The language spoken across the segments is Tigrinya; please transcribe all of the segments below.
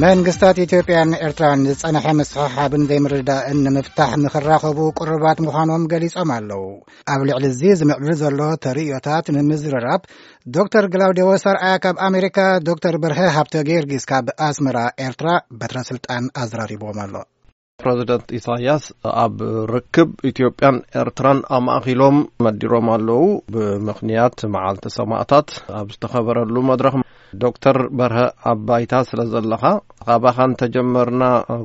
መንግስታት ኢትዮጵያን ኤርትራን ዝጸንሐ ምስሕሓብን ዘይምርድዳእን ንምፍታሕ ንኽራኸቡ ቅሩባት ምዃኖም ገሊጾም ኣለዉ። ኣብ ልዕሊ እዚ ዝምዕብል ዘሎ ተርእዮታት ንምዝርራብ፣ ዶክተር ግላውዴዎስ ኣርኣያ ካብ ኣሜሪካ፣ ዶክተር በርሀ ሃብተ ጊዮርጊስ ካብ ኣስመራ ኤርትራ በትረ ስልጣን ኣዘራሪብዎም ኣሎ። ፕረዚደንት ኢሳያስ ኣብ ርክብ ኢትዮጵያን ኤርትራን ኣማእኪሎም መዲሮም ኣለዉ። ብምኽንያት መዓልቲ ሰማእታት ኣብ ዝተኸበረሉ መድረኽ፣ ዶክተር በርሀ፣ ኣብ ባይታ ስለ ዘለኻ፣ ካባኻ እንተጀመርና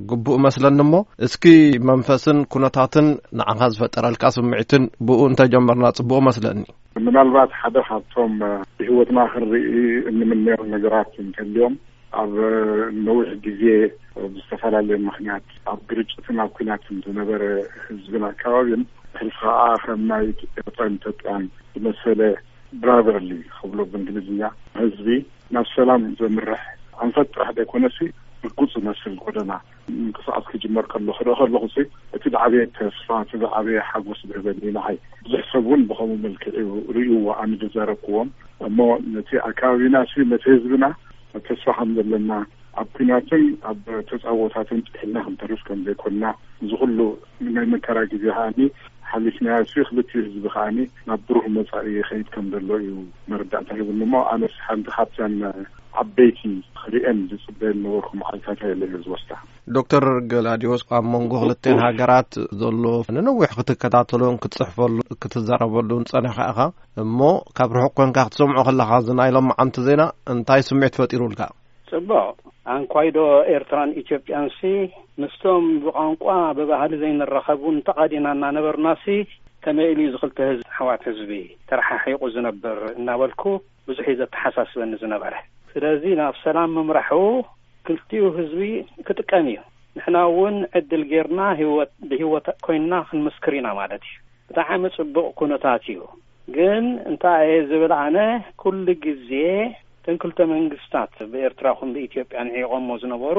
ግቡእ መስለኒ እሞ፣ እስኪ መንፈስን ኩነታትን ንዓኻ ዝፈጠረልካ ስምዒትን ብኡ እንተጀመርና ጽቡቕ መስለኒ። ምናልባት ሓደ ካብቶም ብህይወትና ክንርኢ እንምነዮም ነገራት እንተልዮም፣ ኣብ ነዊሕ ግዜ ብዝተፈላለየ ምኽንያት ኣብ ግርጭትን ኣብ ኲናትን ዝነበረ ህዝብን ኣከባቢን፣ ሕልፊ ኸዓ ከም ናይ ኤርትራን ኢትዮጵያን ዝመሰለ ብራዘርሊ ክብሎ ብእንግሊዝኛ ህዝቢ ናብ ሰላም ዘምርሕ ኣንፈት ጥራሕ ደይኮነሲ ርጉጽ ዝመስል ጎደና ምንቅስቃስ ክጅመር ከሎ ክርኢ ከለኹ ሲ እቲ ዝዓበየ ተስፋ፣ እቲ ዝዓበየ ሓጎስ ዝህበኒ ንዓይ። ብዙሕ ሰብ እውን ብኸምኡ መልክዕ እዩ ርእይዎ፣ ኣነ ዝዛረብክዎም። እሞ ነቲ ኣከባቢና ሲ ነቲ ህዝብና ተስፋ ከም ዘለና፣ ኣብ ኲናትን ኣብ ተጻቦታትን ጥሒልና ክንተርፍ ከም ዘይኮንና፣ እዚ ኩሉ ናይ መከራ ግዜ ከኣኒ ሓሊፍናዮ ሲ ክልቲኡ ህዝቢ ከኣኒ ናብ ብሩህ መጻኢ ይኸይድ ከም ዘሎ እዩ መረዳእታ ሂቡኒ። እሞ ኣነስ ሓንቲ ካብተን ዓበይቲ ክርእየን ዝጽበየን ነበርኩ መዓልታት እየ ዝወስዳ። ዶክተር ገላዲዮስ፣ ኣብ መንጎ ክልተን ሃገራት ዘሎ ንነዊሕ ክትከታተሎን ክትጽሕፈሉ ክትዘረበሉን ጸኒኻ ኢኻ። እሞ ካብ ርሑቕ ኮንካ ክትሰምዖ ከለኻ፣ እዚ ናይ ሎማዓንቲ ዜና እንታይ ስምዒት ፈጢሩልካ? ጽቡቕ። ኣንኳይዶ ኤርትራን ኢትዮጵያን ሲ ምስቶም ብቋንቋ ብባህሊ ዘይንራኸቡን ተቓዲና እናነበርና ሲ ከመይ ኢሉ እዩ እዚ ክልተ ህዝቢ፣ ኣሕዋት ህዝቢ፣ ተረሓሒቑ ዝነብር እናበልኩ ብዙሕ እዩ ዘተሓሳስበኒ ዝነበረ። ስለዚ ናብ ሰላም ምምራሑ ክልቲኡ ህዝቢ ክጥቀም እዩ። ንሕና እውን ዕድል ጌርና ህይወት፣ ብህይወት ኮይንና ክንምስክር ኢና ማለት እዩ። ብጣዕሚ ጽቡቕ ኩነታት እዩ። ግን እንታይ እየ ዝብል ኣነ፣ ኩሉ ግዜ እተን ክልተ መንግስታት ብኤርትራ ኹን ብኢትዮጵያ ንዒቖሞ ዝነበሩ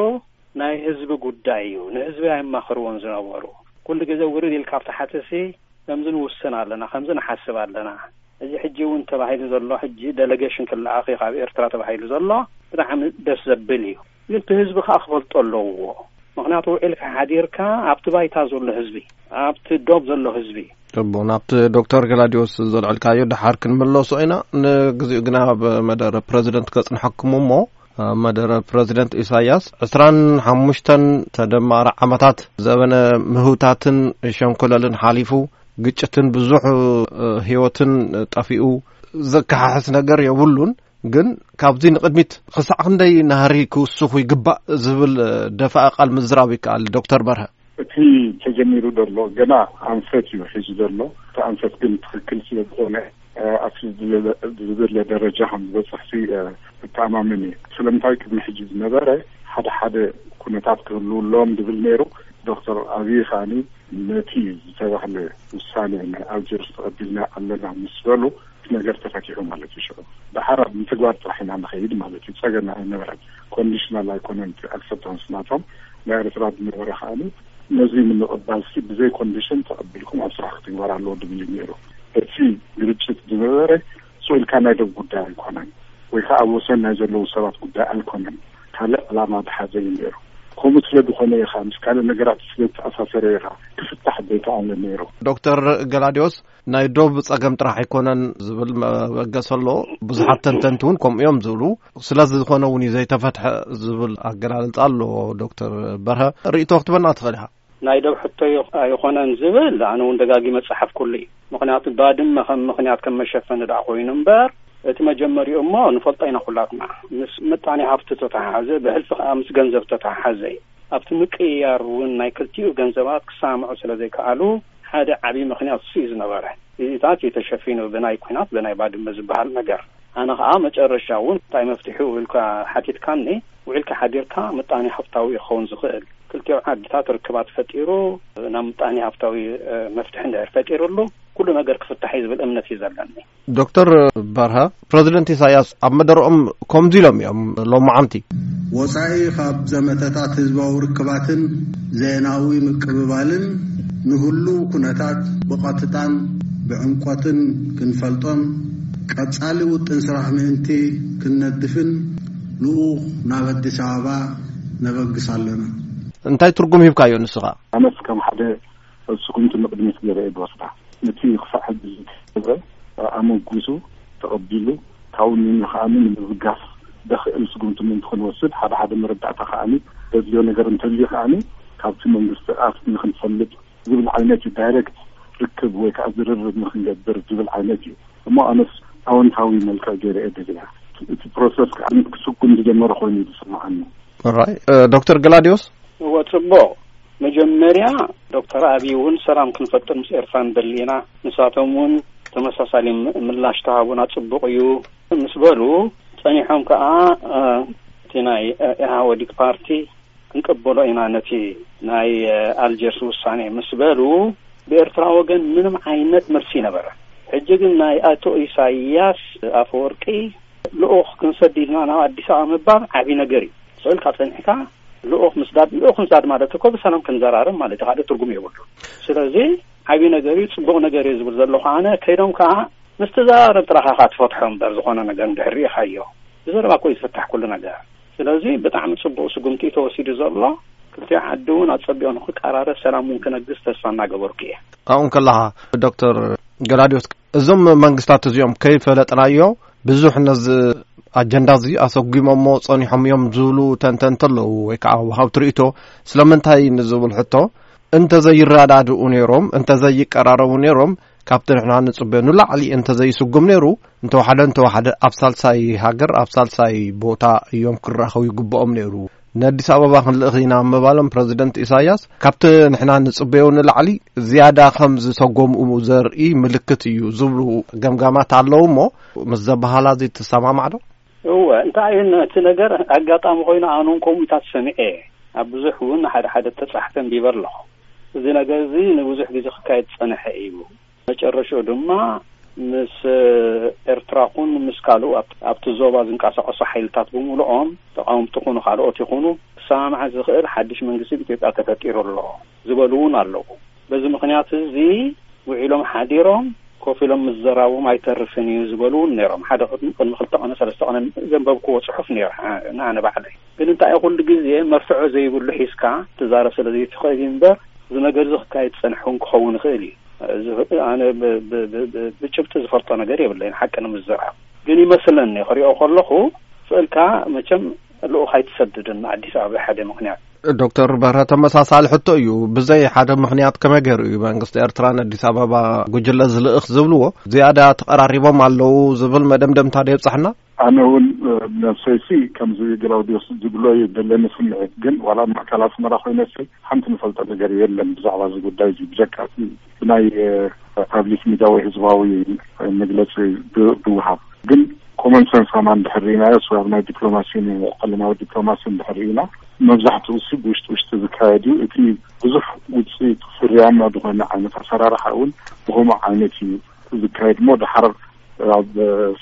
ናይ ህዝቢ ጉዳይ እዩ። ንህዝቢ ኣየማኽርዎን ዝነበሩ። ኩሉ ግዜ ውርድ ኢልካ ኣብቲ ሓተሲ ከምዚ ንውስን ኣለና፣ ከምዚ ንሓስብ ኣለና። እዚ ሕጂ እውን ተባሂሉ ዘሎ፣ ሕጂ ደለጌሽን ክለኣኽ እዩ ካብ ኤርትራ ተባሂሉ ዘሎ፣ ብጣዕሚ ደስ ዘብል እዩ። ግን እቲ ህዝቢ ከኣ ክፈልጦ ኣለዎ። ምኽንያቱ ውዒልካ ሓዲርካ ኣብቲ ባይታ ዘሎ ህዝቢ፣ ኣብቲ ዶብ ዘሎ ህዝቢ። ጽቡቕ፣ ናብቲ ዶክተር ገላዲዮስ ዘልዕልካዮ ደሓር ክንምለሶ ኢና። ንግዚኡ ግና ኣብ መደረ ፕረዚደንት ከጽንሐኩም እሞ፣ ኣብ መደረ ፕረዚደንት ኢሳያስ፣ ዕስራን ሓሙሽተን ተደማሪ ዓመታት ዘበነ ምህውታትን ሸንኮለልን ሓሊፉ፣ ግጭትን ብዙሕ፣ እ፣ ህይወትን ጠፊኡ፣ ዘከሓሕስ ነገር የብሉን። ግን ካብዚ ንቕድሚት ክሳዕ ክንደይ ናህሪ ክውስኹ ይግባእ ዝብል፣ እ፣ ደፋኢ ቃል ምዝራብ ይከኣል። ዶክተር በርሀ። እቲ ተጀሚሩ ዘሎ ገና ኣንፈት እዩ ሒዙ ዘሎ። እቲ ኣንፈት ግን ትኽክል ስለ ዝኾነ፣ እ፣ ኣብቲ ዝድለ-፣ ዝድለ ደረጃ ከም ዝበፅሕ ሲ፣ እ፣ እተኣማመን እየ። ስለምንታይ ቅድሚ ሕጂ ዝነበረ ሓደ ሓደ ኩነታት ክህልዉ ኣለዎም ዝብል ነይሩ። ዶክተር ኣብይ ከኣኒ ነቲ ዝተባህለ ውሳኔ ናይ ኣልጀርስ ተቐቢልና ኣለና ምስ በሉ፣ እቲ ነገር ተፈቲሑ ማለት እዩ። ሽዑ ደሓር ኣብ ምትግባር ጥራሕ ኢና ንኸይድ ማለት እዩ። ጸገም ኣይነበረን። ኮንዲሽናል ኣይኮነን እቲ ኣክሰፕታንስ ናቶም። ናይ ኤርትራ ዝነበረ ከኣኒ ነዚ ንምቕባል ሲ ብዘይ ኮንዲሽን ተቐቢልኩም ኣብ ስራሕ ክትግበር ኣለዎ ድብል እዩ ነይሩ። እቲ ግርጭት ዝነበረ ስቕ ኢልካ ናይ ደብ ጉዳይ ኣይኮነን፣ ወይ ከዓ ኣብ ወሰን ናይ ዘለዉ ሰባት ጉዳይ ኣይኮነን። ካልእ ዕላማ ዝሓዘ እዩ ነይሩ። ከምኡ ስለ ዝኾነ ኢኻ፣ ምስ ካልእ ነገራት ስለ ዝተኣሳሰረ ኢኻ ክፍታሕ ዘይከኣለ ነይሩ። ዶክተር ገላዲዮስ፣ ናይ ዶብ ጸገም ጥራሕ ኣይኮነን ዝብል መበገሲ ኣሎ። ብዙሓት ተንተንቲ እውን ከምኡ እዮም ዝብሉ። ስለዚ ዝኾነ እውን እዩ ዘይተፈትሐ ዝብል ኣገላልጻ ኣሎ። ዶክተር በርሀ፣ ርእይቶ ክትበና ትኽእል ኢኻ። ናይ ዶብ ሕቶ ይኽ-፣ ኣይኾነን ዝብል ኣነ እውን ደጋጊመ ጸሓፍኩሉ እዩ። ምኽንያቱ ባድመ ከም ምኽንያት ከም መሸፈኒ ደኣ ኮይኑ እምበር፣ እቲ መጀመሪኡ እሞ ንፈልጦ ኢና ኩላትና። ምስ ምጣኔ ሃብቲ ተተሓሓዘ፣ ብሕልፊ ከኣ ምስ ገንዘብ ተተሓሓዘ እዩ። ኣብቲ ምቅይያር እውን ናይ ክልቲኡ ገንዘባት ክሰማምዑ ስለ ዘይከኣሉ፣ ሓደ ዓብዪ ምኽንያት እሱ እዩ ዝነበረ። እዚታት እዩ ተሸፊኑ ብናይ ኲናት፣ ብናይ ባድመ ዝበሃል ነገር። ኣነ ኸኣ መጨረሻ እውን እንታይ መፍትሒኡ ኢልካ ሓቲትካኒ፣ ውዒልካ ሓዲርካ ምጣኔ ሃብታዊ እዩ ክኸውን ዝኽእል። ክልቲኡ ዓድታት ርክባት ፈጢሩ፣ ናብ ምጣኔ ሃብታዊ፣ እ፣ መፍትሒ እንድሕር ፈጢሩሉ፣ ኩሉ ነገር ክፍታሕ እዩ ዝብል እምነት እዩ ዘለኒ። ዶክተር በርሀ፣ ፕረዚደንት ኢሳያስ ኣብ መደረኦም ከምዚ ኢሎም እዮም ሎማዓንቲ። ወጻኢ ካብ ዘመተታት ህዝባዊ ርክባትን ዜናዊ ምቅብባልን ንህሉው ኩነታት ብቐጥታን ብዕምቆትን ክንፈልጦን፣ ቀጻሊ ውጥን ስራሕ ምእንቲ ክንነድፍን፣ ልኡኽ ናብ ኣዲስ ኣበባ ነበግስ ኣለና። እንታይ ትርጉም ሂብካዮ ንስኻ? ኣነስ ከም ሓደ ስጉምቲ ንቕድሚት ገይረ እየ ዝወስዳ። ነቲ ክሳዕ ሕጂ ዝተገብረ ኣመጉሱ ተቐቢሉ ካብኡ ንኒ ከኣኒ ንምብጋስ ዘኽእል ስጉምቲ ምእንቲ ክንወስድ ሓደ ሓደ መረዳእታ ከኣኒ ዘድልዮ ነገር እንተልዩ ከኣኒ ካብቲ መንግስቲ ኣፍ ንክንፈልጥ ዝብል ዓይነት እዩ። ዳይሬክት ርክብ ወይ ከዓ ዝርርብ ንክንገብር ዝብል ዓይነት እዩ። እሞ ኣነስ ኣወንታዊ መልክዕ ገይረ እየ ደልያ። እቲ ፕሮሰስ ከዓ ክስጉም ዝጀመረ ኮይኑ እዩ ዝስምዓኒ። ራይ ዶክተር ገላዲዮስ? እወ፣ ጽቡቕ። መጀመርያ ዶክተር ኣብይ እውን ሰላም ክንፈጥር ምስ ኤርትራ ንደሊ ኢና፣ ንሳቶም እውን ተመሳሳሊ ም- ምላሽ ተሃቡና ጽቡቕ እዩ ምስ በሉ፣ ጸኒሖም ከኣ እቲ ናይ ኢህወዲግ ፓርቲ ክንቅበሎ ኢና ነቲ ናይ ኣልጀርስ ውሳኔ ምስ በሉ፣ ብኤርትራ ወገን ምንም ዓይነት መልሲ ነበረ። ሕጂ ግን ናይ ኣቶ ኢሳያስ ኣፈወርቂ ልኡኽ ክንሰድ ኢልና ናብ ኣዲስ ኣበባ ምባል ዓብዪ ነገር እዩ። ስእልካ ጸኒሕካ ልኡኽ ምስዳድ፣ ልኡኽ ምስዳድ ማለት እኮ ብሰላም ክንዘራረብ ማለት እዩ፣ ካልእ ትርጉም የብሉ። ስለዚ ዓብዪ ነገር እዩ፣ ጽቡቕ ነገር እዩ ዝብል ዘለኹ ኣነ። ከይዶም ከኣ ምስ ትዛረብ ጥራኻ ኢኻ ትፈትሖ እምበር ዝኾነ ነገር እንድሕር ርኢኻዮ ብዘረባ እኮ እዩ ዝፍታሕ ኩሉ ነገር። ስለዚ ብጣዕሚ ጽቡቕ ስጉምቲ እዩ ተወሲዱ ዘሎ። ክልቲኡ ዓዲ እውን ኣጸቢቑ ንክቀራረብ ሰላም እውን ክነግስ ተስፋ እናገበርኩ እየ። ኣብኡ እንከለኻ ዶክተር ገላዲዮስ፣ እዞም መንግስታት እዚኦም ከይፈለጥናዮ ብዙሕ ነዚ ኣጀንዳ እዚ ኣሰጒሞሞ ጸኒሖም እዮም ዝብሉ ተንተንቲ ኣለዉ፣ ወይ ከዓ ወሃብቲ ርእይቶ። ስለምንታይ ንዝብል ሕቶ፣ እንተዘይረዳድኡ ነይሮም፣ እንተዘይቀራረቡ ነይሮም፣ ካብቲ ንሕና ንጽበዮ ንላዕሊ እንተዘይስጉም ነይሩ፣ እንተወሓደ እንተወሓደ ኣብ ሳልሳይ ሃገር፣ ኣብ ሳልሳይ ቦታ እዮም ክራኸቡ ይግብኦም ነይሩ። ንኣዲስ ኣበባ ክንልእኽ ኢና ምባሎም ፕረዚደንት ኢሳያስ፣ ካብቲ ንሕና ንጽበዮ ንላዕሊ ዝያዳ ከም ዝሰጎምኡ ዘርኢ ምልክት እዩ ዝብሉ ገምጋማት ኣለዉ። እሞ ምስ ዘበሃላ እዚ ትሰማማዕ ዶ? እወ፣ እንታይ እዩ እቲ ነገር? ኣጋጣሚ ኮይኑ ኣነ እውን ከምኡ ኢታት ሰሚዐ እየ። ኣብ ብዙሕ እውን ሓደ ሓደ ተጻሕፈ ኣንቢበ ኣለኹ። እዚ ነገር እዚ ንብዙሕ ግዜ ክካየድ ዝጸንሐ እዩ። መጨረሽኡ ድማ ምስ ኤርትራ ኹን ምስ ካልኡ ኣብ- ኣብቲ ዞባ ዝንቀሳቐሱ ሓይልታት ብምሉኦም፣ ተቓወምቲ ኹኑ ካልኦት ይኹኑ፣ ክሰማማዕ ዝኽእል ሓድሽ መንግስቲ ኣብ ኢትዮጵያ ተፈጢሩ ኣሎ ዝበሉ እውን ኣለዉ። በዚ ምኽንያት እዚ ውዒሎም ሓዲሮም ኮፍ ኢሎም ምዝራቦም ኣይተርፍን እዩ ዝበሉ እውን ነይሮም። ሓደ ቅድሚ ቅድሚ ክልተ ቀነ ሰለስተ ቀነ ዘንበብክዎ ጽሑፍ ነይሩ፣ ዓ- ንኣነ ባዕለይ። ግን እንታይ ኩሉ ግዜ መርትዖ ዘይብሉ ሒዝካ ትዛረብ ስለ ዘይትኽእል እዩ እምበር፣ እዚ ነገር እዚ ክካየድ ዝጸንሐ እውን ክኸውን ይኽእል እዩ። እዚ ኣነ ብ- ብ- ብ- ብ- ብጭብጢ ዝፈልጦ ነገር የብለይን፣ ሓቂ ንምዝራብ። ግን ይመስለኒ ክሪኦ ከለኹ፣ ስእልካ መቸም ልኡኽ ኣይትሰድድን ኣዲስ ኣበባ ሓደ ምኽንያት። ዶክተር በርሀ፣ ተመሳሳሊ ሕቶ እዩ። ብዘይ ሓደ ምኽንያት ከመይ ገይሩ እዩ መንግስቲ ኤርትራ ንኣዲስ ኣበባ ጉጅለ ዝልእኽ ዝብልዎ? ዝያዳ ተቐራሪቦም ኣለዉ ዝብል መደምደምታ ዶ የብጻሕና? ኣነ እውን ነብሰይሲ ከምዚ ግላውዲዮስ ዝብሎ እዩ ዘለኒ ስምዒት። ግን ዋላ ኣብ ማእከል ኣስመራ ኮይነሲ ሓንቲ ንፈልጦ ነገር የለን ብዛዕባ እዚ ጉዳይ እዚ፣ ብጀካ እቲ ብናይ ፓብሊክ ሚድያ ወይ ህዝባዊ መግለፂ ብ- ብውሃብ። ግን ኮመን ሰንስ ከማን እንድሕር ርኢናዮ፣ ወይ ኣብ ናይ ዲፕሎማሲ፣ ናይ ዓለማዊ ዲፕሎማሲ እንድሕር ርኢና፣ መብዛሕትኡ ሲ ብውሽጢ ውሽጢ ዝካየድ እዩ። እቲ ብዙሕ ውፅኢት ፍርያማ ዝኾነ ዓይነት ኣሰራርሓ እውን ብኸምኡ ዓይነት እዩ ዝካየድ እሞ፣ ድሓር ኣብ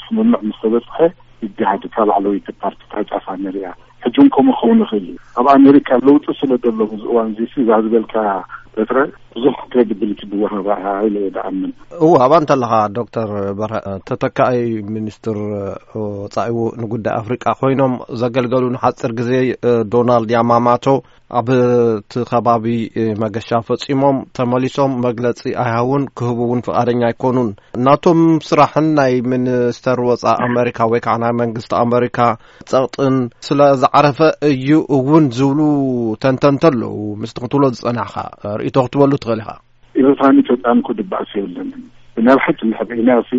ስምምዕ ምስ ተበፅሐ ይገሃድ፣ እታ ላዕለወይቲ ፓርቲ እታ ጫፋ ንሪኣ። ሕጂ እውን ከምኡ ክኸውን ይኽእል እዩ። ኣብ ኣሜሪካ ለውጢ ስለ ዘሎ ኣብዚ እዋን እዚ ሲ፣ እዛ ዝበልካ በትረ ብዙሕ ክሬዲቢሊቲ ዝወሃባ ኢለ እየ ዝኣምን። እወ፣ ኣብኣ እንተለኻ ዶክተር በርሀ፣ ተተካኣይ ሚኒስትር ወጻኢ ንጉዳይ ኣፍሪቃ ኮይኖም ዘገልገሉ ንሓጺር ግዜ ዶናልድ ያማማቶ ኣብቲ ከባቢ መገሻ ፈጺሞም ተመሊሶም መግለጺ ኣይሃቡን፣ ክህቡ እውን ፍቓደኛ ኣይኮኑን። ናቶም ስራሕን ናይ ሚኒስተር ወጻኢ ኣመሪካ ወይ ከዓ ናይ መንግስቲ ኣመሪካ ጸቕጥን ስለ ዝዓረፈ እዩ እውን ዝብሉ ተንተንቲ ኣለዉ። ምስቲ ክትብሎ ዝጸናሕካ ርእይቶ ክትበሉ ትኽእል ኢኻ። ኤርትራን ኢትዮጵያን እኮ ድባእስ የብለንን። ብናይ ሓቂ እንድሕር ርኢናዮ ሲ፣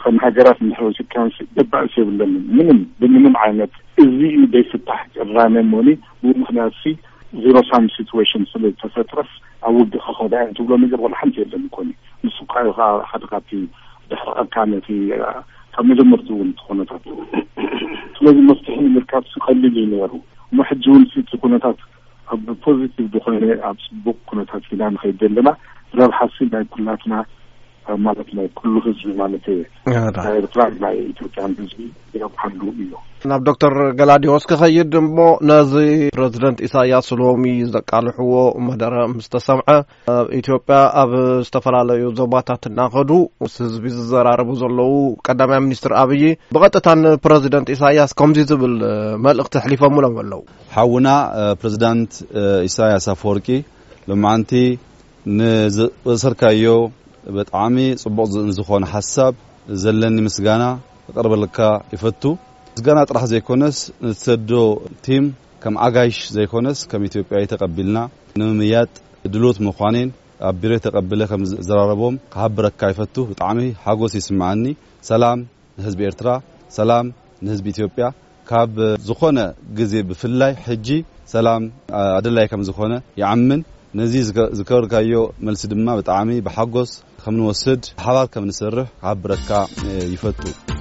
ከም ሃገራት እንድሕር ወሲድካዮ ሲ፣ ድባእስ የብለንን። ምንም፣ ብምንም ዓይነት እዚ እዩ ዘይፍታሕ ቅራኔ እሞኒ፣ ብኡ ምኽንያት ሲ፣ ዜሮ ሳም ሲትዌሽን ስለ ዝተፈጥረስ ኣብ ውግእ ክኸዳ እየን ትብሎ ነገር ዋላ ሓንቲ የለን እኮ። ንሱ እኳ እዩ ከዓ ሓደ ካብቲ ድሕሪ ዕርካ ነቲ ካብ መጀመርትኡ እውን እቲ ኩነታት። ስለዚ መፍትሒ ንምርካብ ሲ ቀሊል እዩ ነይሩ። እሞ ሕጂ እውን ሲ እቲ ኩነታት ኣብ ፖዚቲቭ ዝኾነ ኣብ ጽቡቕ ኩነታት ኢና ንኸይድ ዘለና። ረብሓ ሲ ናይ ኩላትና ማለት ናይ ኩሉ ህዝቢ ማለት እዩ። ናይ ኤርትራን ናይ ኢትዮጵያን ህዝቢ የብሓሉ እዩ። ናብ ዶክተር ገላዲዎስ ክኸይድ እሞ፣ ነዚ ፕረዚደንት ኢሳያስ ሎሚ ዘቃልሕዎ መደረ ምስ ተሰምዐ፣ ኣብ ኢትዮጵያ ኣብ ዝተፈላለዩ ዞባታት እናኸዱ ምስ ህዝቢ ዝዘራረቡ ዘለዉ ቀዳማይ ሚኒስትር ኣብይ፣ ብቐጥታ ንፕረዚደንት ኢሳያስ ከምዚ ዝብል መልእኽቲ ኣሕሊፎምሎም ኣለዉ። ሓውና ፕረዚዳንት ኢሳያስ ኣፈወርቂ፣ ሎማዓንቲ ንዘበሰርካዮ ብጣዕሚ ጽቡቕ ዝኾነ ሓሳብ ዘለኒ ምስጋና ክቕርበልካ ይፈቱ። ምስጋና ጥራሕ ዘይኮነስ፣ ንትሰዶ ቲም ከም ኣጋይሽ ዘይኮነስ ከም ኢትዮጵያዊ ተቐቢልና ንምምያጥ ድሉት ምዃኔን ኣብ ቢሮ ተቐብለ ከም ዘራረቦም ክሃብረካ ይፈቱ። ብጣዕሚ ሓጎስ ይስምዓኒ። ሰላም ንህዝቢ ኤርትራ፣ ሰላም ንህዝቢ ኢትዮጵያ። ካብ ዝኾነ ግዜ ብፍላይ ሕጂ ሰላም ኣደላይ ከም ዝኾነ ይኣምን። ነዚ ዝገበርካዮ መልሲ ድማ ብጣዕሚ ብሓጎስ ከም ንወስድ፣ ሓባር ከም ንሰርሕ ክሓብረካ ይፈቱ።